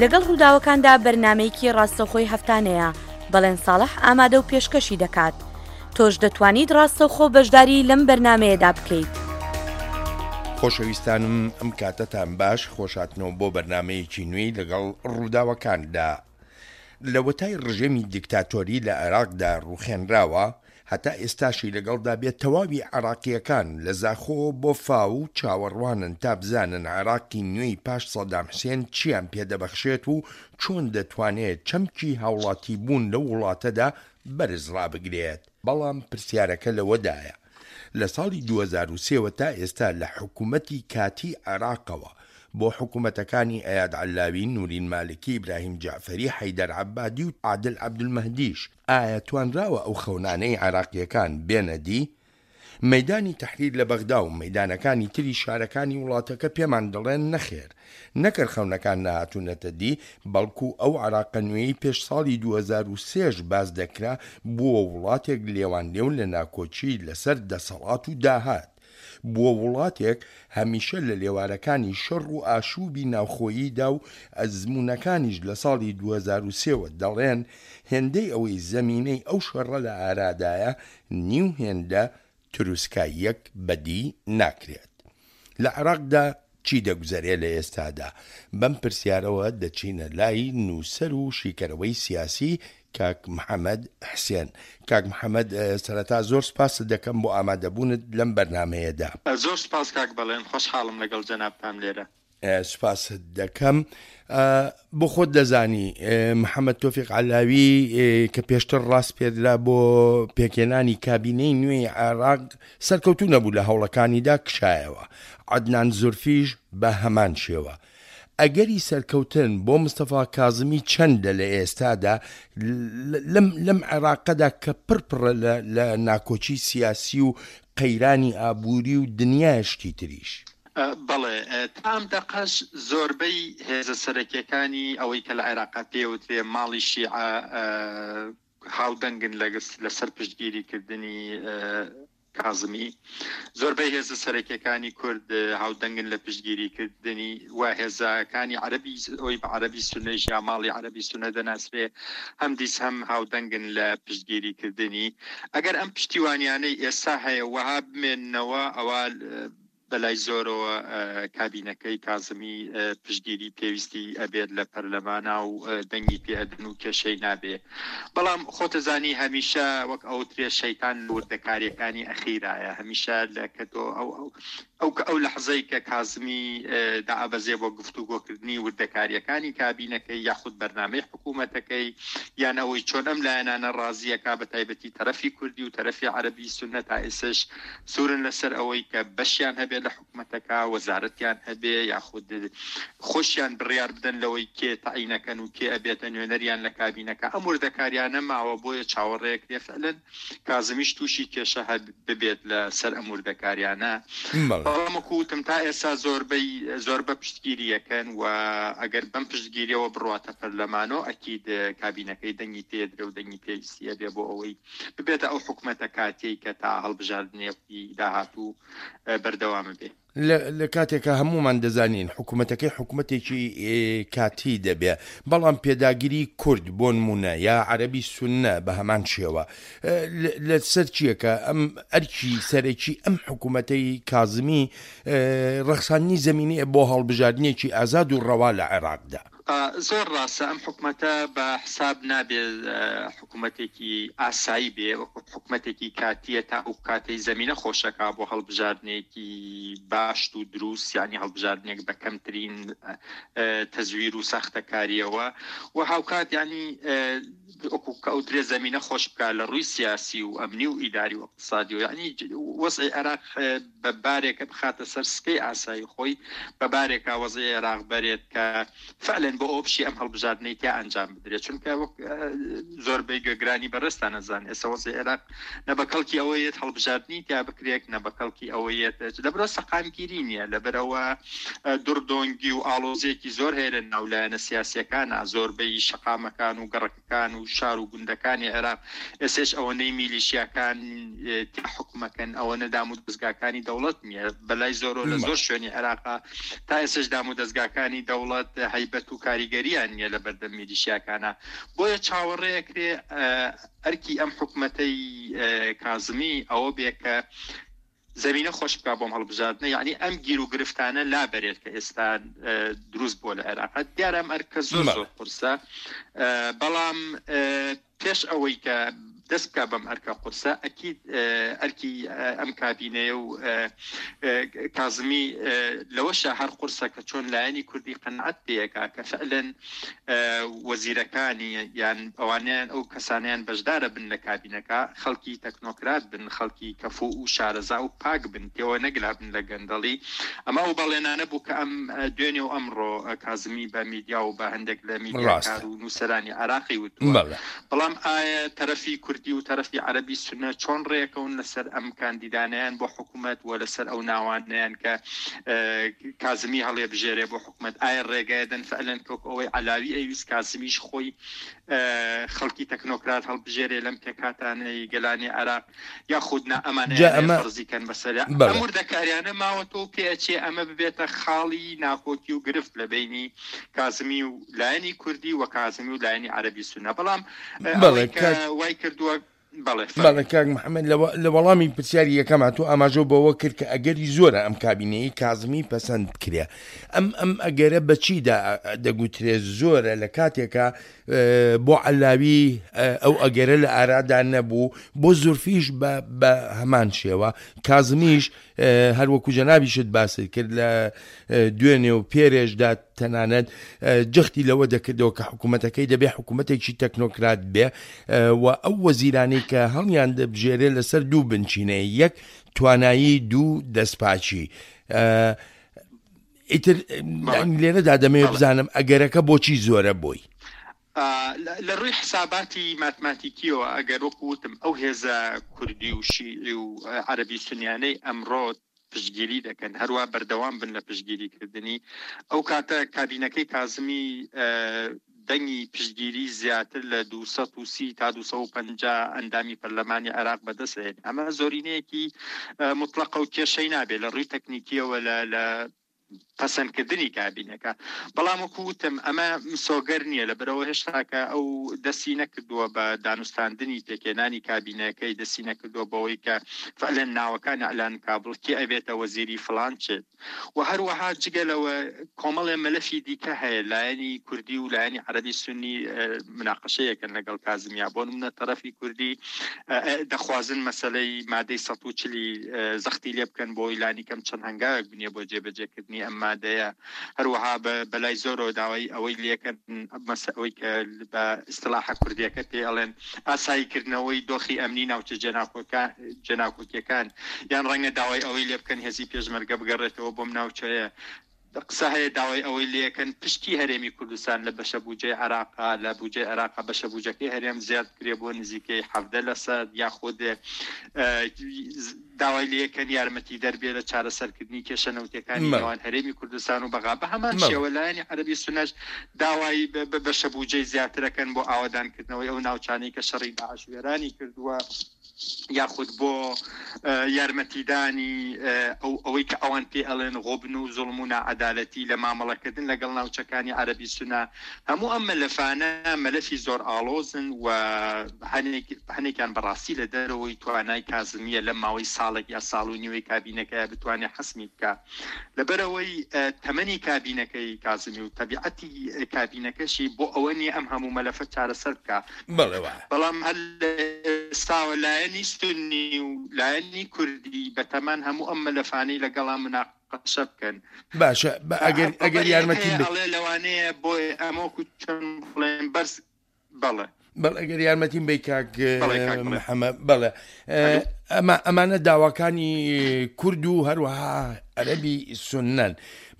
لەگەڵ ڕووداوەکاندا بەرنامەیەکی ڕاستەوخۆی هەفتانەیە، بەڵێن ساڵح ئامادە و پێشکەشی دەکات. تۆش دەتوانیت ڕاستەوخۆ بەشداری لەم بەرنامەیەدا بکەیت. خۆشەویستانم ئەم کاتەتان باش خۆشهاتنەوە بۆ بەرنامەیەکی نوێی لەگەڵ ڕووداوەکاندا. لەوەتای ڕژێمی دیکتاتۆری لە عێراقدا ڕووخێنراوە هەتا ئێستاشی لەگەڵدا بێت تەواوی عێراقییەکان لە زاخۆوە بۆ فاو چاوەڕوانن تا بزانن عێراقی نوێی پاش سەدام حسێن چیان پێدەبەخشێت و چۆن دەتوانێت چەمکی هاوڵاتیبوون لەو وڵاتەدا بەرز ڕابگرێت. بەڵام پرسیارەکە لەوەدایە لە ساڵی 2003 وە تا ئێستا لە حکومەتی کاتیی عێراقەوە بۆ حکومەتەکانی ئەیاد عەلاوی، نورین مالکی، ئیبراهیم جەعفەری، حەیدەر عەبادی و عادل عەبدولمەهدیش، ئایا توانراوە ئەو خەونانەی عێراقییەکان بێنە دی؟ مەیدانی تەحریر لە بەغدا و مەیدانەکانی تری شارەکانی وڵاتەکە پێمان دەڵێن نەخێر، نەکەر خەونەکان نەهاتوونەتە دی، بەڵکو ئەو عێراقە نوێیەی پێش ساڵی 2003 ش باس دەکرا بووە وڵاتێک لێوانلێو لە ناکۆکی لەسەر دەسەڵات و داهات. بووە وڵاتێک هەمیشە لە لێوارەکانی شەڕ و ئاشووبی ناوخۆییدا و ئەزموونەکانیش لە ساڵی 2003 وە دەڵێن هێندەی ئەوەی زەمینەی ئەو شەڕە لە ئارادایە نیو هێندە تروسکاییەک بەدی ناکرێت. لە عێراقدا چی دەگوزەرێ لە ئێستادا؟ بەم پرسیارەوە دەچینە لای نووسەر و شیکەرەوەی سیاسی کاک محەمەد حسێن. کاک محەمەد سەرەتا زۆر سپاست دەکەم بۆ ئامادەبوونت لەم بەرنامەیەدا. زۆر سپاس کاک بەڵێن، خۆشحاڵم لەگەڵ جەنابتام لێرە. سوپاست دەکەم. بۆ خۆت دەزانی محەممەد تۆفیق عەلاوی کە پێشتر ڕاسپێردرا بۆ پێکهێنانی کابینەی نوێی عێراق سەرکەوتوو نەبوو لە هەوڵەکانیدا کشایەوە. عەدنان زورفیش بە هەمان شێوە. ئەگەری سەرکەوتن بۆ مستەفا کازمی چەندە لە ئێستادا لەم لەم عێراقەدا کە پڕ پڕە لە ناکۆکی سیاسی و قەیرانی ئابووری و دنیایە شتی تریش؟ بەڵێ، تا ئەم دەقەش زۆربەی هێزە سەرەکیەکانی ئەوەی کە لە عێراقا پێوترێ ماڵی شیعە هاودەنگن لەسەر پشتگیری کردنی کازمی. زۆربەی هێزە سەرەکیەکانی کورد هاودەنگن لە پشتگیری کردنی و هێزەکانی عەرەبی ئەوی بە عەرەبی سونەیش یا ماڵی عەرەبی سونە دەناسرێ هەمدیس هەم هاودەنگن لە پشتگیری کردنی. ئەگەر ئەم پشتیوانیانەی ئێستا هەیە وەها بمێننەوە ئەوا بەلای زۆرەوە کابینەکەی کازمی پشتگیری پێویستی ئەبێت لە پەرلەمانا و دەنگی پێ ئەدەن و کێشەی نابێ. بەڵام خۆتەزانی هەمیشە وەک ئەوترێ شەیتان لە وردەکاریەکانی ئەخیرایە هەمیشە لە کە تۆ ئەو ئەو کە ئەو لەحزەی کە کازمی دائەبەزێ بۆ گفتوگۆکردنی وردەکاریەکانی کابینەکەی یاخود بەرنامەی حکوومەتەکەی یان ئەوەی چۆن ئەم لایەنانە ڕازیەکا بە تایبەتی تەرەفی کوردی و تەرەفی عەرەبی سوننە تا ئێسش سوورن لەسەر ئەوەی کە بەشیان هەبێت لە حکومەتەکە، وەزارەتیان هەبێ یاخود خۆشیان بڕیار بدەن لەوەی کێ تەعینەکەن و کێ ئەبێتە نوێنەریان لە کابینەکە، ئەم وردەکاریانە ماوە بۆیە چاوەڕێکرێ فعلەن کازمیش تووشی کێشە ببێت لە سەر ئەم وردەکاریانە. بەڵام وەکو وتم تا ئێستا زۆربەی زۆربە پشتگیری ئەکەن و ئەگەر بەم پشتگیریەوە بڕواتە پەرلەمانۆ ئەکید کابینەکەی دەنگی پێدرێ و دەنگی پێویستی ئەبێ بۆ ئەوەی ببێتە ئەو حکومەتە کاتیەی کە تا هەڵبژاردنێکی داهاتوو بەردەوام بێ. لە کاتێکا هەموومان دەزانین حکومەتەکەی حکومەتێکی کاتی دەبێ، بەڵام پێداگری کورد بۆ نموونە یا عەرەبی سوننە بە هەمان شێوە لە سەر چییە کە ئەم ئەرکی سەرەکی ئەم حکومەتەی کازمی ڕەخساندنی زەمینەیە بۆ هەڵبژاردنێکی ئازاد و ڕەوا لە عێراقدا. زۆر ڕاستە ئەم حکومەتە بە حساب نابێ حکومەتێکی ئاسایی بێ وەکو حکومەتێکی کاتیە تا ئەو کاتەی زەمینە خۆشەکا بۆ هەڵبژاردنێکی باشت و دروست یعنی هەڵبژاردنێک بە کەمترین تەزویر و ساختەکاریەوە و هاوکات یعنی وەکو کە ئەوترێ زەمینە خۆش بکا لە ڕووی سیاسی و ئەمنی و ئیداری و اقتصادی و یعنی وەزعی عێراق بە بارێکە بخاتە سەر سکەی ئاسایی خۆی، بە بارێکا وەزعی عێراق بەرێت کە فعلەن بۆ ئەوە بشی ئەم هەڵبژاردنەی تیا ئەنجام بدرێت، چونکە وەک زۆربەی گوێگرانی بەڕێزتان ئەزانن ئێستا وەزعی عێراق نە بە کەڵکی ئەوە یەت هەڵبژاردنی تیا بکرێت نە بە کەڵکی ئەوە یەت لەبەرئەوە سەقامگیری نییە، لەبەرئەوە دڕدۆنگی و ئاڵۆزییەکی زۆر هەیە لە ناو لایەنە سیاسییەکانا، زۆربەی شەقامەکان و گەڕەکەکان کان و شار و گوندەکانی عێراق ئێسێش ئەوەنەی میلیشیاکان تیا حوکمەکەن ئەوەنە دام و دەزگاکانی دەوڵەت نییە بەلای زۆرۆ لە زۆر شوێنی عێراقا تا ئێسش دام و دەزگاکانی دەوڵەت هەیبەت و. کاریگەریان نییە لە بەردەم میلیشیاکانە بۆیە چاوەڕێ ئەکرێ ئەرکی ئەم حکومەتەی کازمی ئەوە بێ کە زەمینە خۆش بکا بۆم هەڵبژاردنە یەعنی ئەم گیر و گرفتانە لابەرێت کە ئێستا دروست بووە لە عێراق دیارە ئەم ئەرکە زۆر زۆر قورسە بەڵام پێش ئەوەی کە دەست بکا بەم ئەرکە قورسە ئەکید ئەرکی ئەم کابینەیە و کازمی لەوەشە هەر قورسە کە چۆن لایەنی کوردی قەنعەت پێەکا کە فعلەن وەزیرەکانی یان ئەوانەیان ئەو کەسانەیان بەشدارە بن لە کابینەکە خەڵکی تەکنۆکرات بن خەڵکی کەفوو و شارەزا و پاک بن پێوە نەگلابن لە گەندەڵی ئەمە ئەو بەڵێنانە بوو کە ئەم دوێنێ و ئەمڕۆ کازمی بە میدیا و بە هەندێک لە میدیاکار ڕاستە. و نووسەرانی عێراقی وتووە بەڵێ. بەڵام ئایا تەرەفی کوردی و تەرەفی عەرەبی سوننە چۆن ڕێکەون لەسەر ئەم کاندیدانەیان بۆ حکوومەت و لەسەر ئەو ناوانەیان کە کازمی هەڵێبژێرێ بۆ حکومەت ئایا ڕێگایەدەن فعلەن کە وەکو ئەوەی عەلاوی ئەیویست کازمیش خۆی خەڵکی تەکنۆکرات هەڵبژێرێ لەم پێکهاتانەی گەلانی عێراق یاخود نا جا ئەمانەیانەیە ئەمە فەرزی کەن بەسەریا ئەم بەڵێ. وردەکاریانە ماوەتەوە و پێئەچێ ئەمە ببێتە خاڵی ناکۆکی و گرفت لە بەینی کازمی و لایەنی کوردی و کازمی و لایەنی عەرەبی سوننە بەڵام بەڵێ ئەوەی کە کاک وای کردووە بەڵێ بەڵێ فەرموو. کاک محەممەد لە وەڵامی پرسیاری یەکەما تۆ ئاماژەو بەوە کرد کە ئەگەری زۆرە ئەم کابینەیەی کازمی پەسەند بکرێ ئەم ئەم ئەگەرە بە چیدا دەگوترێ زۆرە لە کاتێکا بۆ عەلاوی ئەو ئەگەرە لە ئارادا نەبوو بۆ زورفیش بە بە هەمان شێوە کازمیش هەروەکو جەنابیشت باست کرد لە دوێنێ و پێرێشدا تەنانەت جەختی لەوە دەکردەوە کە حکوومەتەکەی دەبێ حکوومەتێکی تەکنۆکرات بێ و ئەو وەزیرانەی کە هەڵیان دەبژێرێ لەسەر دوو بنچینەیە یەک توانایی دوو دەستپاکی ئیتر لێرەدا دەمەوێت بزانم ئەگەرەکە بۆچی زۆرە بۆی. لە ڕووی حساباتی ماتماتیکیەوە ئەگەر وەکو وتم ئەو هێزە کوردی و شیعی و عەرەبی سونیانەی ئەمڕۆ پشتگیری دەکەن هەروا بەردەوام بن لە پشتگیری کردنی ئەو کاتە کابینەکەی کازمی دەنگی پشتگیری زیاتر لە 230 تا 250 ئەندامی پەرلەمانی عێراق بەدەست هێن ئەمە زۆرینەیەکی مطلقە و کێشەی نابێت لە ڕووی تەکنیکیەوە لە پەسەندکردنی کابینەکە، بەڵام وەکو وتم ئەمە مسۆگەر نییە، لەبەرئەوە هێشتاکە ئەو دەستی نەکردووە بە دانوستاندنی پێکهێنانی کابینەکەی، دەستی نەکردووە بەوەی کە فعلەن ناوەکان ئیعلان بکا بڵ کێ ئەبێتە وەزیری فڵان چ. و هەروەها جگە لەوە کۆمەڵێ مەلەفی دیکە هەیە لایەنی کوردی و لایەنی عەرەبی سونی مناقەشەیەکەن لەگەڵ کازمیا، بۆ نمونە تەرەفی کوردی دەخوازن مەسەلەی مادەی 140 زەختی لێ بکەن بۆی لانیکەم چەند هەنگاوێک بنێ بۆ جێبەجێکردنی ئەم مادەیە. هەروەها بەلای زۆرەوە داوای ئەوەی لێکەن ئەوەی کە بە ئیستلاحە کوردیەکە پێ ئەڵێن ئاساییکردنەوەی دۆخی ئەمنی ناوچە جێناکۆکیەکان، یان ڕەنگە داوای ئەوەی لێ بکەن هێزی پێشمەرگە بگەڕێتەوە بۆم ناوچەیە. قسە هەیە داوای ئەوەی لێکەن پشکی هەرێمی کوردستان لە بەشە بوجەی عێراقا لە بوجەی عێراقا بەشە بوجەکەی هەرێم زیاد بکرێ بۆ نزیکەی 17 لەسەد، یاخود داوای لێکەن یارمەتیدەر بێ لە چارەسەرکردنی کێشە نەوتیەکانی نێوان هەرێمی کوردستان و بەغا. بە هەمان شێوە لایەنی عەرەبی سوننەش داوای بەشە بوجەی زیاترەکەن بۆ ئاوەدانکردنەوەی ئەو ناوچانەی کە شەڕی داعش وێرانی کردووە. یاخود بۆ یارمەتیدانی ئەو ئەوەی کە ئەوان پێ ئەڵێن غوبن و زوڵم و ناعەدالەتی لە مامەڵەکردن لەگەڵ ناوچەکانی عەرەبی سونە. هەموو ئەم مەلەفانە مەلەفی زۆر ئاڵۆزن و هەنێک هەنێکیان بەڕاستی لە دەرەوەی توانای کازمییە لەم ماوەی ساڵێک یا ساڵ و نیوەی کابینەکەیا بتوانێ حەسمی بکا. لەبەرئەوەی تەمەنی کابینەکەی کازمی و تەبیعەتی کابینەکەشی بۆ ئەوە نییە ئەم هەموو مەلەفە چارەسەر بکا. بەڵێ وایە. بەڵام هەر لە ئێستاوە لایەنی سوننی و لایەنی کوردی بەتەمان هەموو ئەم مەلەفانەی لەگەڵا مناقەشە بکەن. باشە ئەگەر ئەگەر یارمەتیم بەی. ئەڵێ لەوانەیە بۆیە ئەمە وەکو چۆن بڵێن بەرز بەڵێ. بەڵێ ئەگەر یارمەتیم بەی کاک محەممەد بەڵێ ئەمە ئەمانە داواکانی کورد و هەروەها عەرەبی سوننەن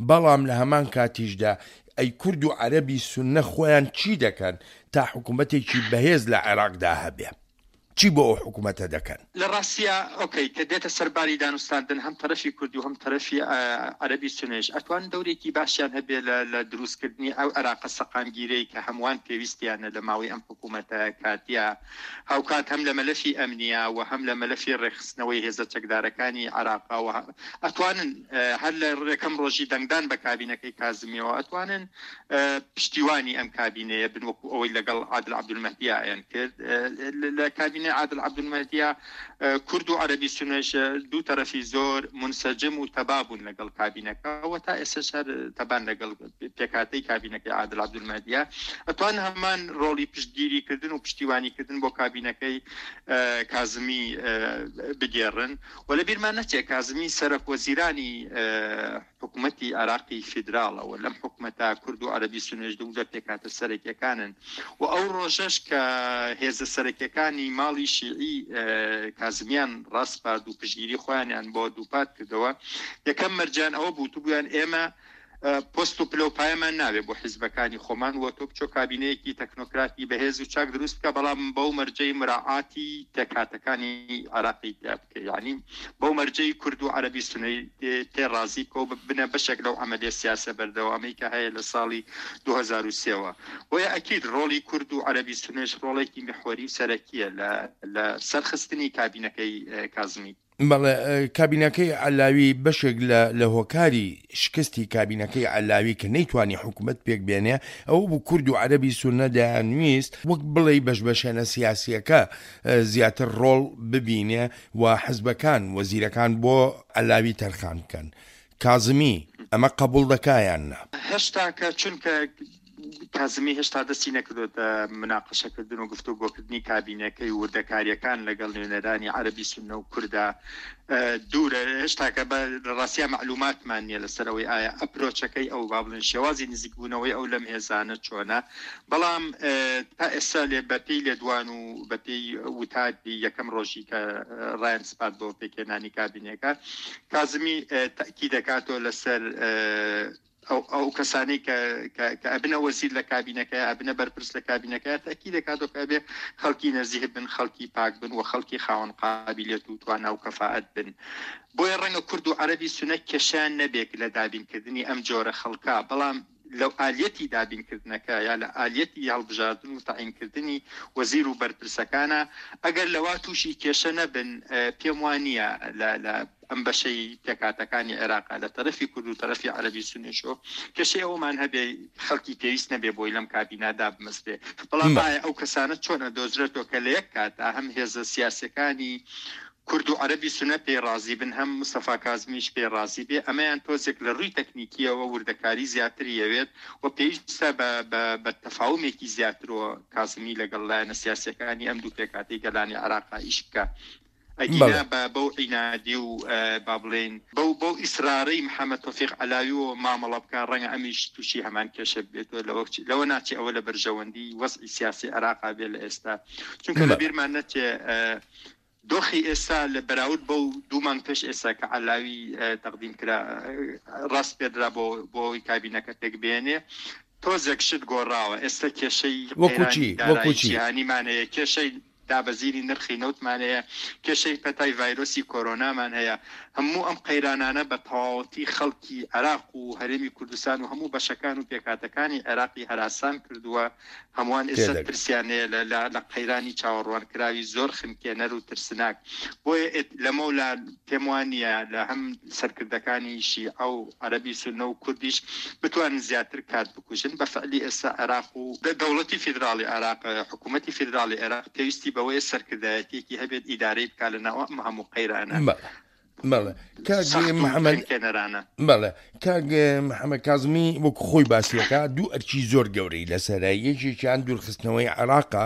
بەڵام لە هەمان کاتیشدا ئەی کورد و عەرەبی سوننە خۆیان چی دەکەن تا حکوومەتێکی بەهێز لە عێراقدا هەبێ؟ چی بۆ ئەو حکوومەتە دەکەن؟ لە ڕاستیا ئۆکەی کە دێتە سەر باری دانوستاندن هەم تەرەفی کوردی و هەم تەرەفی عەرەبی سوننەیش ئەتوانن دەورێکی باشیان هەبێ لە لە دروست کردنی ئەو عێراقە سەقامگیرەی کە هەمووان پێویستیانە لە ماوەی ئەم حکوومەتە کاتیە هاوکات هەم لە مەلەفی ئەمنیا و هەم لە مەلەفی ڕێکخستنەوەی هێزە چەکدارەکانی عێراقا و ئەتوانن هەر لە یەکەم ڕۆژی دەنگدان بە کابینەکەی کازمیەوە ئەتوانن پشتیوانی ئەم کابینەیە بن وەکو ئەوەی لەگەڵ عادل عەبدولمەهدیا ئەیان کرد لە کابینەی عادل عەبدولمەهدیا کورد و عەرەبی سونەش دوو تەرەفی زۆر منسەجم و تەبا بوون لەگەڵ کابینەکە و تا ئێستاش هەر تەبان لەگەڵ پێکهاتەی کابینەکەی عادل عەبدولمەهدیا ئەتوان هەمان ڕۆڵی پشتگیری کردن و پشتیوانی کردن بۆ کابینەکەی کازمی بگێڕن و لە بیرمان نەچێت کازمی سەرەک وەزیرانی حکومەتی عێراقی فیدراڵە و لەم حکومەتە کورد و عەرەبی سوننەش دوو لە پێکهاتە سەرەکیەکانن و ئەو ڕۆژەش کە هێزە سەرەکیەکانی ماڵی شیعی کازمیان ڕاسپارد و پشتگیری خۆیانیان بۆ دووپات کردەوە یەکەم مەرجیان ئەوە بوو وتبوویان ئێمە پۆست و پلە و پایەمان ناوێ بۆ حیزبەکانی خۆمان و تۆ بچۆ کابینەیەکی تەکنۆکراتی بەهێز و چاک دروست بکە بەڵام بەو مەرجەی مراعاتی پێکهاتەکانی عێراقی تیا بکە یانی بەو مەرجەی کورد و عەرەبی سونەی پێ ڕازی بکە و ببنە بەشێک لەو عەمەلیە سیاسە بەردەوامەی کە هەیە لە ساڵی 2003 وە بۆیە ئەکید ڕۆڵی کورد و عەرەبی سونەش ڕۆڵێکی میحوەری و سەرەکیە لە لە سەرخستنی کابینەکەی کازمی. بەڵێ کابینەکەی عەلاوی بەشێک لە لە هۆکاری شکستی کابینەکەی عەلاوی کە نەیتوانی حکومەت پێک بێنێ ئەوە بوو کورد و عەرەبی سوننە دەیانویست وەک بڵێی بەشبەشێنە سیاسیەکە زیاتر ڕۆڵ ببینێ و حزبەکان وەزیرەکان بۆ عەلاوی تەرخان بکەن. کازمی ئەمە قەبوڵ دەکا یان نا؟ هێشتاکە چونکە کازمی هێشتا دەستی نەکردۆتە مناقەشەکردن و گفتوگۆکردنی کابینەکەی و وردەکارییەکان لەگەڵ نوێنەرانی عەرەبی سوننە و کوردا دوورە. هێشتاکە بە ڕاستیا مەعلوماتمان نییە لەسەر ئەوەی ئایا ئەپرۆچەکەی ئەو با بڵێن شێوازی نزیکبوونەوەی ئەو لەم هێزانە چۆنە. بەڵام تا ئێستا لێ بەپێی لێدوان و بەپێی وتاری یەکەم ڕۆژی کە ڕایان سپارد بۆ پێکهێنانی کابینەکە، کازمی تەئکید دەکاتەوە لەسەر ئەو ئەو کەسانەی کە کە ئەبنە وەزیر لە کابینەکە ئەبنە بەرپرس لە کابینەکە تەئکید دەکاتەوە کە ئەبێ خەڵکی نەزیه بن، خەڵکی پاک بن و خەڵکی خاوەن قابیلیەت و توانا و کەفائەت بن. بۆیە ڕەنگە کورد و عەرەبی سونە کێشەیان نەبێت لە دابینکردنی ئەم جۆرە خەڵکە، بەڵام لە ئالیەتی دابینکردنەکە یا لە ئالیەتی هەڵبژاردن و تەعینکردنی وەزیر و بەرپرسەکانە ئەگەر لەوا تووشی کێشە نەبن پێم وا نییە لە لە ئەم بەشەی پێکهاتەکانی عێراقا لە تەرەفی کورد و تەرەفی عەرەبی سونیشەوە کێشەی ئەوەمان هەبێ خەڵکی پێویست نەبێ بۆی لەم کابینە دابمەزرێ بەڵام ئایا ئەو کەسانە چۆن ئەدۆزرێتەوە کە لە یەک کاتا هەم هێزە سیاسیەکانی کورد و عەرەبی سونە پێی ڕازی بن هەم مستەفا کازمیش پێی ڕازی بێ ئەمەیان تۆزێک لە ڕووی تەکنیکیەوە وردەکاری زیاتری ئەوێت و پێویستە بە بە بە تەفاومێکی زیاترەوە کازمی لەگەڵ لایەنە سیاسیەکانی ئەم دوو پێکهاتەی گەلانی عێراقا ئیش بکا ئەگینا بە بەو عینادی و با بڵێین بەو بەو ئیسرارەی محەمەد تۆفیق عەلاویەوە مامەڵە بکا ڕەنگە ئەمیش تووشی هەمان کێشە ببێتەوە لەوە لەوە ناچێ ئەوە لە بەرژەوەندی وەزعی سیاسی عێراقا بێ لە ئێستا چونکە لە بیرمان نەچێ دۆخی ئێستا لە بەراورد بەو دوو مانگ پێش ئێستا کە عەلاوی تەقدیم کرا ڕاسپێردرا بۆ بۆ ئەوەی کابینەکە پێک بێنێ تۆزێک شت گۆڕاوە ئێستا کێشەی وەکو چی؟ قەیرانی وەکو دارایی چی؟ جیهانیمان هەیە کێشەی دابەزینی نرخی نەوتمان هەیە کێشەی پەتای ڤایرۆسی کۆرۆنامان هەیە هەموو ئەم قەیرانانە بە تەواوەتی خەڵکی عێراق و هەرێمی کوردستان و هەموو بەشەکان و پێکهاتەکانی عێراقی هەراسان کردووە هەمووان ئێستا تێدەگەم. ترسیان هەیە لە لە لە قەیرانی چاوەڕوانکراوی زۆر خنکێنەر و ترسناک. بۆیە ئێت لەمەولا پێم وا نییە لە هەم سەرکردەکانی شیعە و عەرەبی سوننە و کوردیش بتوانن زیاتر کات بکوژن. بە فعلی ئێستا عێراق و دەوڵەتی فیدراڵی عێراق، حکوومەتی فیدراڵی عێراق پێویستی بەوەیە سەرکردایەتییەکی هەبێت ئیدارەی بکا لە ناو ئەم هەموو قەیرانە. بەڵێ. بەڵێ کاک سەخت و محەمەد خنکێنەرانە. بەڵێ کاک محەمەد کازمی وەکو خۆی باسیەکە دوو ئەرکی زۆر گەورەی لەسەرە یەکێکیان دوورخستنەوەی عێراقە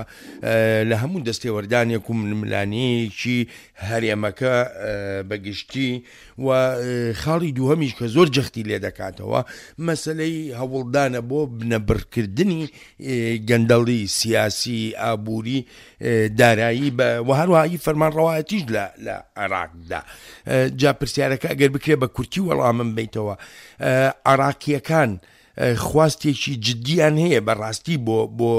لە هەموو دەستێوەردانێک و ململانێیەکی هەرێمەکە بەگشتی و خاڵی دووهەمیش کە زۆر جەختی لێ دەکاتەوە مەسلەی هەوڵدانە بۆ بنەبڕکردنی گەندەڵی سیاسی ئابووری دارایی بە و هەروەها ئی فەرمانڕەوایەتیش لە لە عێراقدا جا پرسیارەکە ئەگەر بکرێ بە کورتی وەڵامم بیتەوە عراقیەکان خواستێکی جدیان هەیە بە ڕاستی بۆ بۆ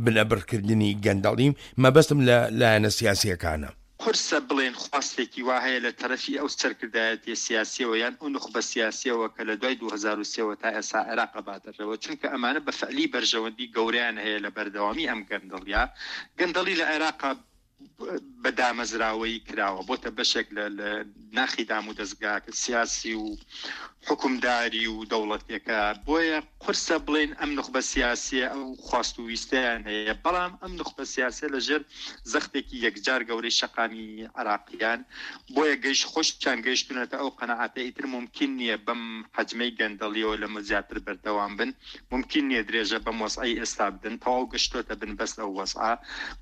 بنەبڕکردنی گەندەڵی مەبەستم لە لایەنە سیاسیەکانە. قورسە بڵێین خواستێکی وا هەیە لە تەرەفی ئەو سەرکردایەتیە سیاسیەوە یان ئەو نوخبە سیاسیەوە کە لە دوای 2003 وە تا ئێستا عێراق ئەباتە ڕێوە چونکە ئەمانە بە فعلی بەرژەوەندی گەورەیان هەیە لە بەردەوامی ئەم گەندەڵیە گەندەڵی لە عێراقا بە دامەزراوەیی کراوە بۆتە بەشێک لە ناخی دامودەزگا سیاسی و حوکمداری و دەوڵەتیەکە بۆیە قورسە بڵێین ئەم نوخبە سیاسیە ئەو خواست و ویستەیان هەیە بەڵام ئەم نوخبە سیاسیە لە ژێر زەختێکی یەکجار گەورەی شەقامی عێراقیان بۆیە گەیشت خۆشیان گەیشتونەتە ئەو قەناعەتە ئیتر مومکین نیە بەم حەجمەی گەندەڵیەوە لەمە زیاتر بەردەوام بن مومکین نیە درێژە بەم وەزعەی ئێستا بدەن تەواو گەشتۆتە بنبەست ئەو وەزعە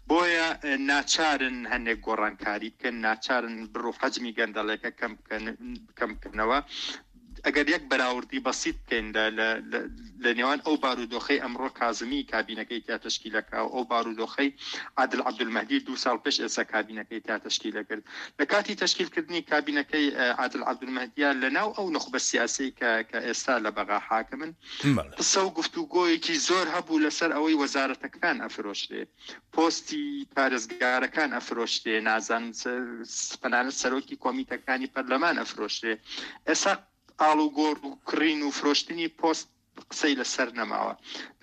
بۆیە ناچارن هەنێک گۆڕانکاری بکەن ناچارن بڕ و حەجمی گەندەڵێکە کەم بکەن کەم بکەنەوە ئەگەر یەک بەراوردی بەسیت بکەین لە لە نێوان ئەو بارودۆخەی ئەمڕۆ کازمی کابینەکەی تیا تەشکیلەکە و ئەو بارودۆخەی عادل عەبدولمەهدی دوو ساڵ پێش ئێستا کابینەکەی تیا تەشکیلە کرد لە کاتی تەشکیلکردنی کابینەکەی عادل عەبدولمەهدیە لە ناو ئەو نوخبە سیاسی کە کە ئێستا لە بەغا حاکمن قسە و گفتوگۆیەکی زۆر هەبوو لەسەر ئەوەی وەزارەتەکان ئەفرۆشرێ پۆستی پارێزگارەکان ئەفرۆشرێ، نازانم تەنانەت سەرۆکی کۆمیتەکانی پەرلەمان ئەفرۆشرێ. ئێستا ئاڵوگۆڕ و کڕین و فرۆشتنی پۆست قسەی لەسەر نەماوە.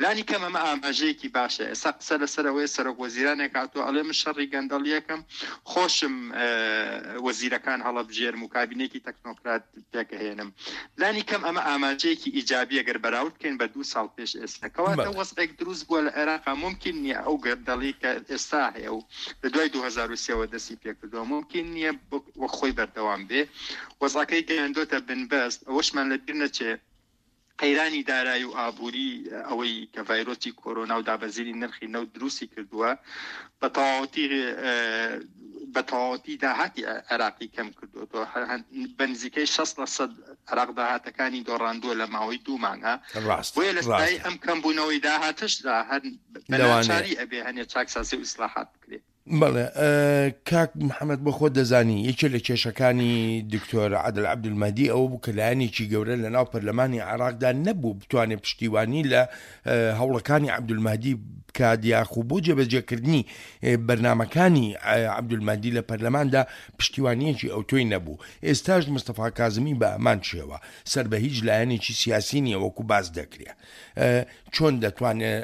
لانی کەم ئەمە ئاماژەیەکی باشە. ئێستا قسە لەسەر ئەوەیە سەرۆک وەزیرانێک هاتووە ئەڵێ من شەڕی گەندەڵیەکەم، خۆشم وەزیرەکان هەڵەبژێرم و کابینێکی تەکنۆکرات پێکئەهێنم. لانی کەم ئەمە ئاماژەیەکی ئیجابیە گەر بەراورد بکەین بە دوو ساڵ پێش ئێستا. کەواتە وەزعێک دروست بووە لە عێراقا مومکین نیە ئەو گەندەڵی کە ئێستا هەیە و لە دوای 2003 وە دەستی پێکردووە مومکین نیە وەک خۆی بەردەوام بێ. وەزعەکەی گەیاندۆتە بنبەست. ئەوەشمان لە بیر نەچێ قەیرانی دارایی و ئابووری ئەوەی کە ڤایرۆسی کۆرۆنا و دابەزینی نرخی نەوت دروستی کردووە بە تەواوەتی بە تەواوەتی داهاتی عێراقی کەم کردووەتەوە بە نزیکەی 60 لە سەد عێراق داهاتەکانی دۆڕاندووە لە ماوەی دوو مانگە ڕاست بۆیە لە سای ئەم کەمبوونەوەی داهاتشدا هەر بە ناچاری ئەبێ هەنێ چاکسازی و ئیسلاحات بکرێ. بەڵێ کاک محەممەد بۆ خۆت دەزانی یەکێ لە کێشەکانی دکتۆر عادل عەبدولمەهدی ئەوە بوو کە لایەنێکی گەورە لە ناو پەرلەمانی عێراقدا نەبوو بتوانێت پشتیوانی لە هەوڵەکانی عەبدولمەهدی بکات یاخو بۆ جێبەجێکردنی بەرنامەکانی عەبدولمەهدی لە پەرلەماندا پشتیوانیەکی ئەوتۆی نەبوو ئێستاش مستەفا کازمی بە هەمان شێوە سەر بە هیچ لایەنێکی سیاسی نییە وەکو باس دەکرێت چۆن دەتوانێت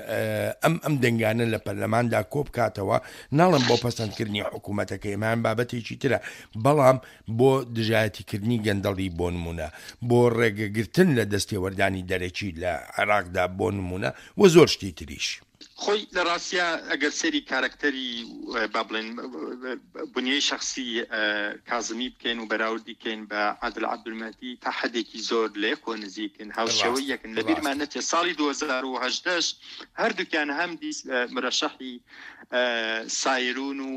ئەم ئەم دەنگانە لە پەرلەماندا کۆبکاتەوە ناڵم بۆ پەسەندکردنی حکوومەتەکەی ئەمان بابەتێکی ترە بەڵام بۆ دژایەتیکردنی گەندەڵی بۆ نمونە بۆ ڕێگەگرتن لە دەستێوەردانی دەرەکی لە عێراقدا بۆ نمونە و زۆر شتی تریش. خۆی لە ڕاستیا ئەگەر سەیری کارەکتەری با بڵێن بنیەی شەخسی کازمی بکەین و بەراوردی کەین بە عادل عەبدولمەهدی تا حەدێکی زۆر لە یەکەوە نزیکن هاوشێوەی یەکن لە بیرمان نەچێت ساڵی 2018 هەردووکیان هەم دیس مرەشەحی سایرون و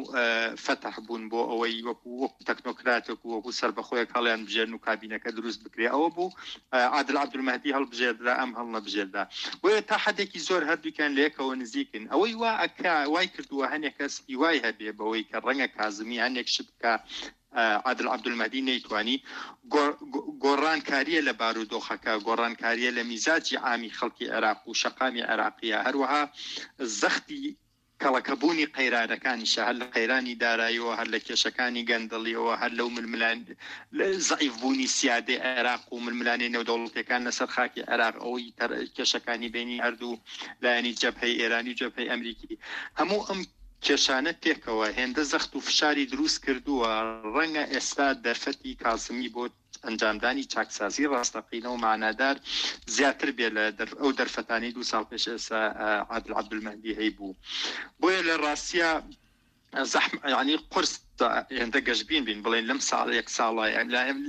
فەتح بوون بۆ ئەوەی وەکو وەکو تەکنۆکراتێک و وەکو سەربەخۆیەک هەڵیان بژێرن و کابینەکە دروست بکرێ ئەوە بوو عادل عەبدولمەهدی هەڵبژێردرا ئەم هەڵنەبژێردرا بۆیە تا حەدێکی زۆر هەردووکیان لە یەکەوە نزیکن ئەوەی وا ئەکا وای کردووە هەنێک کەس هیوای هەبێ بەوەی کە ڕەنگە کازمی هەنێک شت بکا عادل عەبدولمەهدی نەیتوانی گۆڕانکاریە لە بارودۆخەکە گۆڕانکاریە لە میزاجی عامی خەڵکی عێراق و شەقامی عێراقیە هەروەها زەختی کەڵەکەبوونی قەیرانەکانیشە، هەر لە قەیرانی داراییەوە، هەر لە کێشەکانی گەندەڵییەوە، هەر لەو ململان زەعیفبوونی سیادەی عێراق و ململانێ نێودەوڵەتییەکان لەسەر خاکی عێراق، ئەوەی کێشەکانی بەینی هەردوو لایەنی جەبهەی ئێرانی و جەبهەی ئەمریکی، هەموو ئەم کێشانە پێکەوە هێندە زەخت و فشاری دروست کردووە، ڕەنگە ئێستا دەرفەتی کازمی بۆ ئەنجامدانی چاکسازی ڕاستەقینە و مانادار زیاتر بێ لە ئەو دەرفەتانەی دوو ساڵ پێش ئێستا عادل عەبدولمەهدی هەیبوو. بۆیە لە ڕاستیا زەحم یانی قورس هێندە گەشبین بین بڵێن لەم ساڵ یەک ساڵە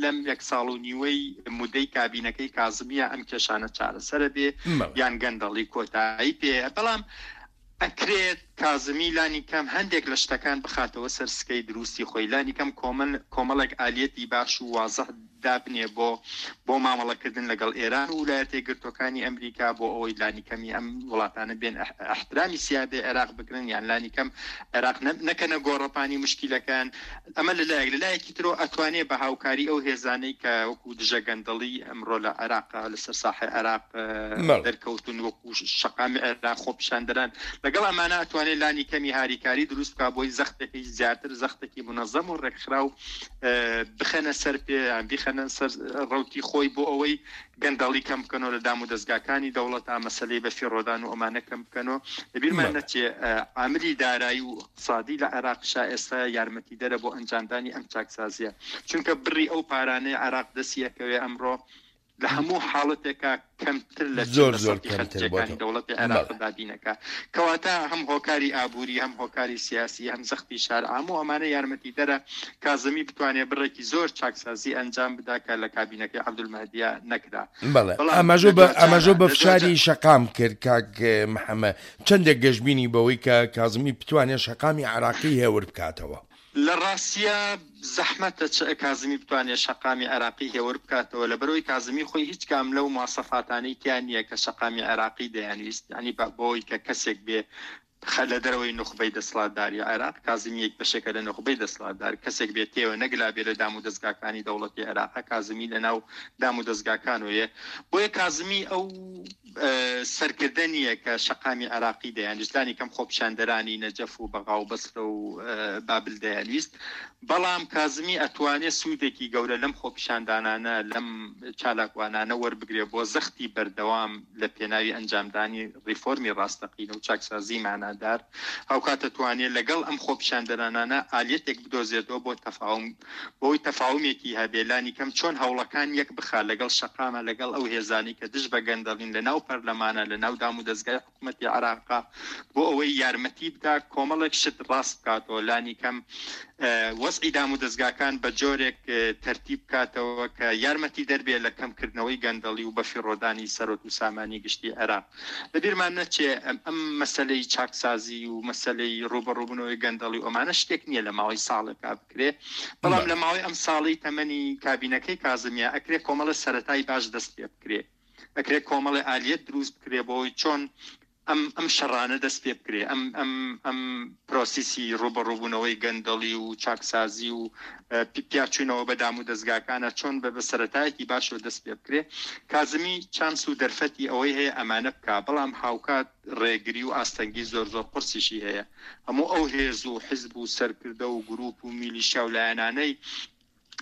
لەم یەک ساڵ و نیوەی مودەی کابینەکەی کازمیە ئەم کێشانە چارەسەرە بێ یان گەندەڵی کۆتایی پێ بەڵام. ئەکرێت کازمی لانی کەم هەندێک لە شتەکان بخاتەوە سەر سکەی دروستی خۆی، لانی کەم کۆمەڵێک ئالیەتی باش و وازح دابنێ بۆ بۆ مامەڵەکردن لەگەڵ ئێران و ولایەتە یەکگرتووەکانی ئەمریکا بۆ ئەوەی لانی کەمی ئەم وڵاتانە بێن ئیحترامی سیادەی عێراق بگرن یان لانی کەم عێراق نەکەنە گۆڕەپانی موشکیلەکان. ئەمە لە لایەک، لە لایەکی ترەوە ئەتوانێ بە هاوکاری ئەو هێزانەی کە وەکوو دژە گەندەڵی ئەمڕۆ لە عێراق لەسەر ساحەی عێراق دەرکەوتوون وەکوو شەقامی عێراق خۆپیشاندەران لەگەڵ ئەمانە ئەتوانێ لانی کەمی هاریکاری دروست بکا بۆی زەختێکی زیاتر زەختێکی مونەزەم و ڕێکخراو بخەنە سەر پێ یان بیخەنە سەر ڕەوتی خۆی بۆ ئەوەی گەندەڵی کەم بکەنەوە لە دام و دەزگاکانی دەوڵەتا، مەسەلەی بەفیڕۆدان و ئەمانە کەم بکەنەوە. لەبیرمان نەچێ عاملی دارایی و ئیقتسادی لە عێراقیشا ئێستا یارمەتیدەرە بۆ ئەنجامدانی ئەم چاکسازییە، چونکە بڕی ئەو پارانەی عێراق دەستی ئەکەوێ ئەمڕۆ لە هەموو حاڵەتێکا کەمتر لە 40 زۆر لە زۆر سەدی کەمتر خەرجییەکانی بۆتەوە. دەوڵەتی عێراق بەڵێ. دابین ئەکا. کەواتە هەم هۆکاری ئابووری، هەم هۆکاری سیاسی، هەم زەختی شار، هەموو ئەمانە یارمەتیدەرە کازمی بتوانێ بڕێکی زۆر چاکسازی ئەنجام بدا کە لە کابینەکەی عەبدولمەهدیا نەکرا. بەڵێ بەڵام ئاماژە لە بە دواجارا ئاماژە بە لە فشاری دواجار. شەقام کرد کاک محەممەد چەندێک گەشبینی بەوەی کە کازمی بتوانێ شەقامی عێراقی هێور بکاتەوە؟ لە ڕاستیا زەحمەتە چ کازمی بتوانێ شەقامی عێراقی هێور بکاتەوە لەبەرئەوەی کازمی خۆی هیچ کام لەو مواسەفاتانەی تیا نییە کە شەقامی عێراقی دەیانویست یانی بەوەی کە کەسێک بێ خە لە دەرەوەی نوخبەی دەسڵاتداری عێراق، کازمی یەک بەشێکە لە نوخبەی دەسڵاتدار، کەسێک بێ تێوە نەگلابێ لە دام و دەزگاکانی دەوڵەتی عێراقە، کازمی لە ناو دام و دەزگاکانۆیە، بۆیە کازمی ئەو سەرکردە نییە کە شەقامی عێراقی دەیانویست، لانی کەم خۆپیشاندەرانی نەجەف و بەغا و بەسرە و بابل دەیانویست، بەڵام کازمی ئەتوانێ سوودێکی گەورە لەم خۆپیشاندانانە، لەم چالاکوانانە وەربگرێ بۆ زەختی بەردەوام لە پێناوی ئەنجامدانی ڕیفۆرمی ڕاستەقینە و چاکسازیی مانادار، هاوکات ئەتوانێ لەگەڵ ئەم خۆپیشاندەرانانە ئالیەتێک بدۆزێتەوە بۆ تەفاوم بۆی تەفاومێکی هەبێ لانیکەم چۆن هەوڵەکان یەک بخا لەگەڵ شەقامە لەگەڵ ئەو هێزانەی کە دژ بە گەندەڵین لە ناو پەرلەمانە لە ناو دامودەزگای حکومەتی عێراقە بۆ ئەوەی یارمەتی بدا کۆمەڵێک شت ڕاست بکاتەوە لانیکەم وەزعی دامودەزگاکان بە جۆرێک تەرتیب بکاتەوە کە یارمەتی دەربێ لە کەمکردنەوەی گەندەڵی و بەفیڕۆدانی سەرۆت و سامانی گشتی عێراق. لەبیرمان نەچێ ئەم مەسەلەی چاکسازی و مەسەلەی ڕووبەڕووبوونەوەی گەندەڵی و ئەمانە شتێک نییە لە ماوەی ساڵێکا بکرێ، بەڵام لە ماوەی ئەم ساڵەی تەمەنی کابینەکەی کازمیا ئەکرێ کۆمەڵێ سەرەتای باش دەست پێ بکرێ. ئەکرێ کۆمەڵێ ئالیەت دروست بکرێ بۆ ئەوەی چۆن ئەم ئەم شەڕانە دەست پێ بکرێ ئەم ئەم ئەم پرۆسیسی ڕووبەڕووبوونەوەی گەندەڵی و چاکسازی و پیاچوونەوە بە دام و دەزگاکانە چۆن بە بە سەرەتایەکی باشەوە دەست پێ بکرێ کازمی چانس و دەرفەتی ئەوەی هەیە ئەمانە بکا بەڵام هاوکات ڕێگری و ئاستەنگی زۆر زۆر قورسیشی هەیە هەموو ئەو هێز و حزب و سەرکردە و گروپ و میلیشیا و لایەنانەی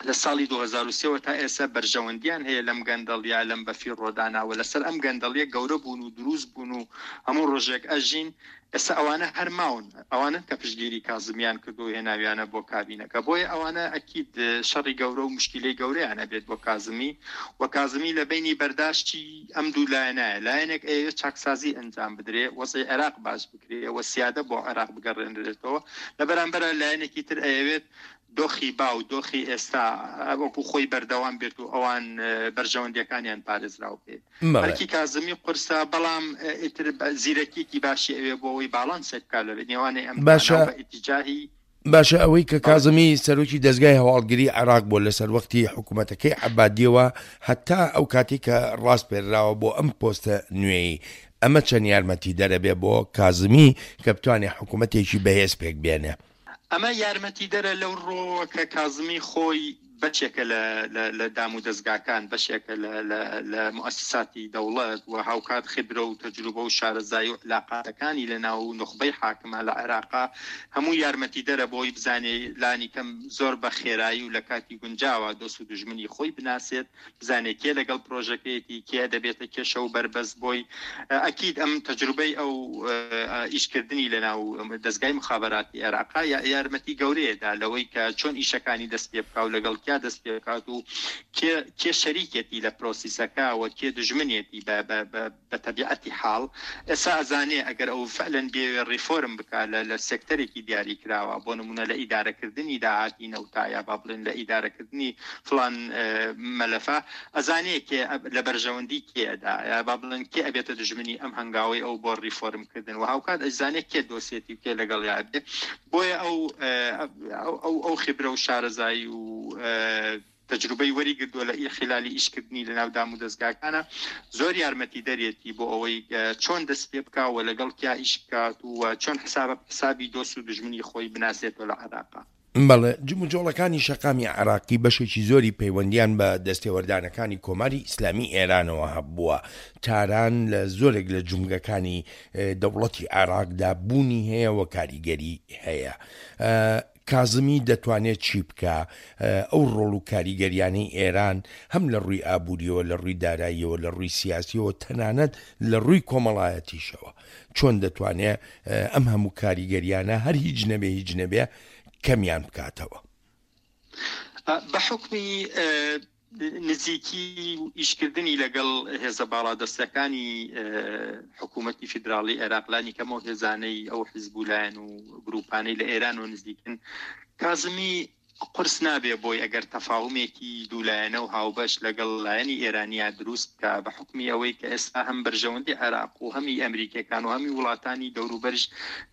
لە ساڵی 2003 وە تا ئێستا بەرژەوەندیان هەیە لەم گەندەڵیە لەم بەفیڕۆدانە و لەسەر ئەم گەندەڵیە گەورە بوون و دروست بوون و هەموو ڕۆژێک ئەژین ئێستا ئەوانە هەر ماون ئەوانەن کە پشتگیری کازمیان کردو و هێناویانە بۆ کابینەکە بۆیە ئەوانە ئەکید شەڕی گەورە و موشکیلەی گەورەیان ئەبێت بۆ کازمی و کازمی لە بەینی بەرداشتی ئەم دوو لایەنایە لایەنێک ئەیەوێت چاکسازی ئەنجام بدرێ وەزعی عێراق باش بکرێ و سیادە بۆ عێراق بگەڕێنرێتەوە لە بەرامبەرا لایەنێکی تر ئەیەوێت دۆخی باو، دۆخی ئێستا وەکو خۆی بەردەوام بێت و ئەوان بەرژەوەندییەکانیان پارێزراو بێ. ئەرکی کازمی قورسە، بەڵام ئیتر زیرەکییەکی باشی ئەوێ بۆ ئەوەی باڵانسێک بکات لە نێوانی ئەم باشە دوانە و بە ئیتیجاهی باشە ئەوەی کە کازمی سەرۆکی دەزگای هەواڵگری عێراق بووە لە سەروەختی حکوومەتەکەی عەبادیەوە هەتا ئەو کاتەی کە ڕاسپێرراوە بۆ ئەم پۆستە نوێی ئەمە چەند یارمەتیدەرە بێ بۆ کازمی کە بتوانێ حکوومەتێکی بەهێز پێک بێنێ؟ ئەمە یارمەتیدەرە لەو ڕووەوە کە کازمی خۆی بەشێکە لە لە دام و دەزگاکان، بەشێکە لە لە لە موئەسساتی دەوڵەت و هاوکات خیبرە و تەجروبە و شارەزایی و عیلاقاتەکانی لە ناو نوخبەی حاکمە لە عێراقا هەموو یارمەتیدەرە بۆی بزانێ لانیکەم زۆر بە خێرایی و لە کاتی گونجاوا دۆست و دوژمنی خۆی بناسێت. بزانێ کێ لەگەڵ پرۆژەکەیەتی، کێ دەبێتە کێشە و بەربەست بۆی. ئەکید ئەم تەجروبەی ئەو ئیشکردنی لەناو دەزگای موخابەراتی عێراقا یارمەتی گەورەیە دا لەوەی کە چۆن ئیشەکانی دەست پێ بکا و لەگەڵ کیا دەست پێ بکات و کێ کێ شەریکێتی لە پرۆسیسەکە و کێ دوژمنێتی بە بە بە بە تەبیعەتی حاڵ ئێستا ئەزانێ ئەگەر ئەو فعلەن بێوێ ڕیفۆرم بکا لە لە سێکتەرێکی دیاری کراوە بۆ نمونە لە ئیدارەکردنی داهاتی نەوتا یا با بڵێن لە ئیدارەکردنی فڵان مەلەفە ئەزانێ کێ لە بەرژەوەندی کێ ئەدا یا با بڵێن کێ ئەبێتە دوژمنی ئەم هەنگاوەی ئەو بۆ ڕیفۆرم کردن و هاوکات ئەشزانێ کێ دۆسێتی و کێ لەگەڵیا ئەبێ بۆیە ئەو ئەو ئەو خیبرە و شارەزایی و تەجروبەی وەری گردووە لە خلالی ئیش کردنی لە ناو دام و دەزگاکانە زۆر یارمەتی دەرێتی بۆ ئەوەی چۆن دەست پێ بکا و لەگەڵ کیا ئیش بکات و چۆن حساب حسابی دۆست و دوژمنی خۆی بناسێتەوە لە عێراقا. بەڵێ، جموجۆڵەکانی شەقامی عێراقی بەشێکی زۆری پەیوەندییان بە دەستێوەردانەکانی کۆماری ئیسلامی ئێرانەوە هەبووە. تاران لە زۆرێک لە جومگەکانی دەوڵەتی عێراقدا بوونی هەیە و کاریگەری هەیە. کازمی دەتوانێت چی بکا؟ ئەو ڕۆڵ و کاریگەریانەی ئێران هەم لە ڕووی ئابووریەوە، لە ڕووی داراییەوە، لە ڕووی سیاسیەوە، تەنانەت لە ڕووی کۆمەڵایەتیشەوە چۆن دەتوانێ ئەم هەموو کاریگەریانە هەر هیچ نەبێ هیچ نەبێ کەمیان بکاتەوە؟ بە حوکمی نزیکی و ئیشکردنی لەگەڵ هێزە باڵادەستەکانی حکوومەتی فیدراڵی عێراق لانی کەم ئەو هێزانەی ئەو حیزب و لایەن و گرووپانەی لە ئێرانەوە نزیکن کازمی قورس نابێ بۆی ئەگەر تەفاهومێکی دوولایەنە و هاوبەش لەگەڵ لایەنی ئێرانیا دروست بکا بە حوکمی ئەوەی کە ئێستا هەم بەرژەوەندی عێراق و هەمی ئەمریکیەکان و هەمی وڵاتانی دەوروبەریش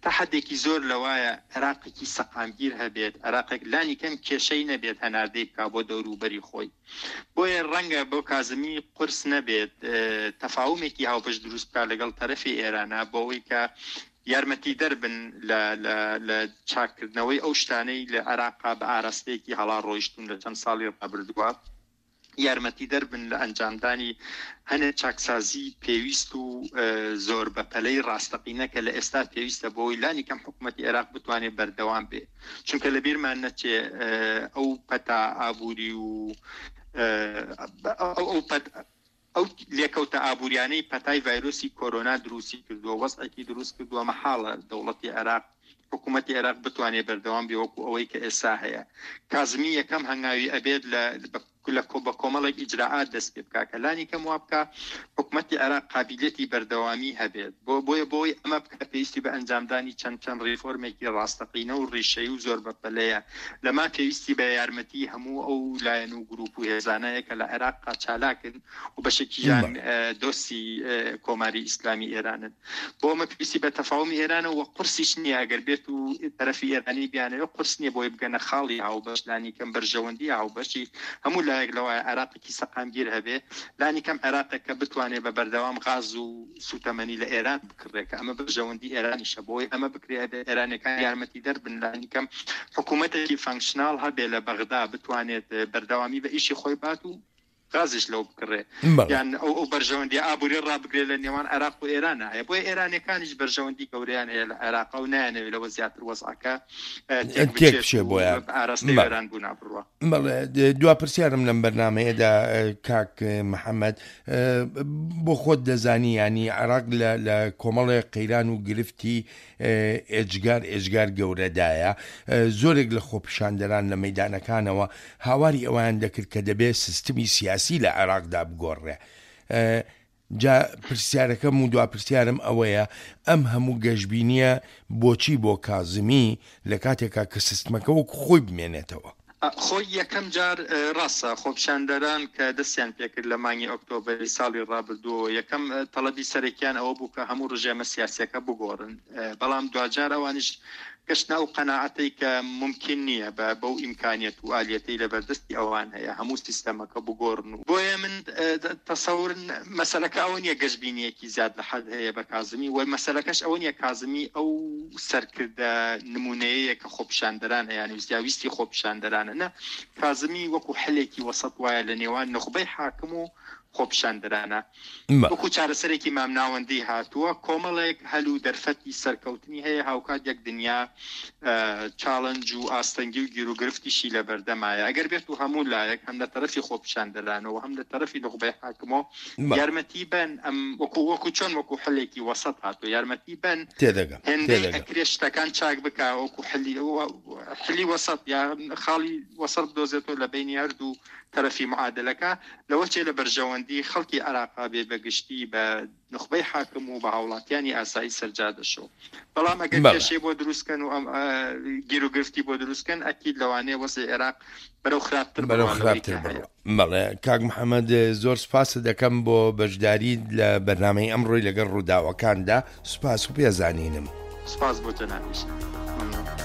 تا حەدێکی زۆر لەوایە عێراقێکی سەقامگیر هەبێت، عێراقێک لانی کەم کێشەی نەبێت هەناردەی بکا بۆ دەوروبەری خۆی. بۆیە ڕەنگە بۆ کازمی قورس نەبێت تەفاومێکی هاوبەش دروست بکا لەگەڵ تەرەفی ئێرانا بۆ ئەوەی کە یارمەتیدەر بن لە لە لە چاککردنەوەی ئەو شتانەی لە عێراقا بە ئاراستەیەکی هەڵا ڕۆیشتوون لە چەند ساڵی ڕابردووە. یارمەتیدەر بن لە ئەنجامدانی هەنێ چاکسازی پێویست و زۆر بەپەلەی ڕاستەقینە کە لە ئێستا پێویستە بۆی لانی کەم حکوومەتی عێراق بتوانێت بەردەوام بێ چونکە لە بیرمان نەچێ ئەو پەتا ئابووری و ئەو پەت ئەو لێکەوتە ئابووریانەی پەتای ڤایرۆسی کۆرۆنا دروستی کردووە وەزعێکی دروست کردووە مەحاڵە دەوڵەتی عێراق حکوومەتی عێراق بتوانێت بەردەوام بێ وەکو ئەوەی کە ئێستا هەیە. کازمی یەکەم هەنگاوی ئەبێت لە لە بە کۆمەڵێک ئیجرائات دەست پێ بکا کە لانی کەم وا بکا حکوومەتی عێراق قابیلیەتی بەردەوامی هەبێت. بۆ بۆیە بۆی ئەمە بکا پێویستی بە ئەنجامدانی چەند چەند ڕیفۆرمێکی ڕاستەقینە و ڕیشەیی و زۆر بەپەلەیە. لەما پێویستی بە یارمەتی هەموو ئەو لایەن و گرووپ و هێزانەیە کە لە عێراقا چالاکن و بەشێکیان دۆستی کۆماری ئیسلامی ئێرانن. بۆ ئەمە پێویستی بە تەفاومی ئێرانە و قورسیش نییە ئەگەر بێت و تەرەفی ئێرانی بیانەوێت قورس نییە بۆی بگەنە خاڵی هاوبەش لانی کەم بەرژەوەندی هاوبەشی هەموو لایەک لەوایە عێراقێکی سەقامگیر هەبێ لانی کەم عێراقێک کە بتوانێت بە بەردەوام غاز و سوتەمەنی لە ئێران بکڕێ کە ئەمە بەرژەوەندی ئێرانیشە بۆی ئەمە بکرێ ئەبێ ئێرانەکان یارمەتیدەر بن لانی کەم حکوومەتێکی functional هەبێ لە بەغدا بتوانێت بەردەوامی بە ئیشی خۆی بات و غازیش لەو بکڕێ یان ئەو ئەو بەرژەوەندی ئابووری ڕابگرێ لە نێوان عێراق و ئێران هەیە بۆیە ئێرانەکانیش بەرژەوەندی گەورەیان هەیە لە عێراق و نایانەوێت لەوە زیاتر وەزعەکە تێک بچێ بۆیان ئاراستەی ئێران بوو نابڕوا. بەڵێ دوا پرسیارم لەم بەرنمەیەدا کاک محەممەد بۆ خۆت دەزانی ینی عێراق لە کۆمەڵێ قەیران و گرفتی ئێجگار ئێجگار گەورەدایە، زۆرێک لە خۆپیشاندەران لە مەیدانەکانەوە هاواری ئەوەیان دەکرد کە دەبێ سیستمی سیاسی لە عێراقدا بگۆڕرێ. جا پرسیارەکەم و دوا پرسیارم ئەوەیە ئەم هەموو گەشبینییە بۆچی بۆ کازمی لە کاتێکا کە سیستمەکە وەکو خۆی بمێنێتەوە؟ خۆی یەکەم جار ڕاستە خۆپیشاندەران کە دەستیان پێکرد لە مانگی ئۆکتۆبەری ساڵی ڕابردووەوە یەکەم تەڵەبی سەرەکیان ئەوە بوو کە هەموو ڕژێمە سیاسیەکە بگۆڕن بەڵام دواجار ئەوانیش گەشتنە ئەو قەناعەتەی کە مومکین نییە بە بەو ئیمکانیەت و ئالیەتەی لەبەردەستی ئەوان هەیە هەموو سیستەمەکە بگۆڕن و بۆیە من تەسەور مەسەلەکە ئەوە نییە گەشبینییەکی زیاد لە حەد هەیە بە کازمی و مەسەلەکەش ئەوە نییە کازمی ئەو سەرکردە نموونەیەیە کە خۆپیشاندەران ئەیانویست یا ویستی خۆپیشاندەرانە نا کازمی وەکو حلێکی وەسەت وایە لە نێوان نوخبەی حاکم و. خۆپیشاندەرانە وەکو چارەسەرێکی مامناوەندی هاتووە، کۆمەڵێک هەل و دەرفەتی سەرکەوتنی هەیە، هاوکات یەک دنیا چاڵنج و ئاستەنگی و گیروگرفتیشی لەبەردەمایە، ئەگەر بێت و هەموو لایەک هەم لە تەرەفی خۆپیشاندەرانەوە هەم لە تەرەفی نوخبەی حاکمەوە یارمەتی بەن ئەم وەکو وەکو چۆن وەکو حلێکی وەسەت هاتووە یارمەتی بەن تێدەگەم هێندەی ئەکرێ شتەکان چاک بکا وەکو حلی حلی وەسەت یا خاڵی وەسەت بدۆزێتەوە لە بەینی هەردوو تەرەفی معادلەکە لەوە چێ لە بەرژەوەندی خەڵکی عێراقا بێ بە گشتی بە نوخبەی حاکم و بە هاوڵاتیانی ئاسایی سەرجادەشەوە بەڵام ئەگەر کێشەی بۆ دروستکەن و ئەم گیروگرفتی بۆ دروستکەن ئەکید لەوانەیە وەزعی عێراق بەرەو خراپتر بەرەو خراپتر بڕوا. بەڵێ کاک محەممەد زۆر سپاست دەکەم بۆ بەشداریت لە بەرنامەی ئەمڕۆی لەگەڵ ڕووداوەکاندا سوپاس و پێزانینم. سپاس بۆ جەنابیشت. مەمنون.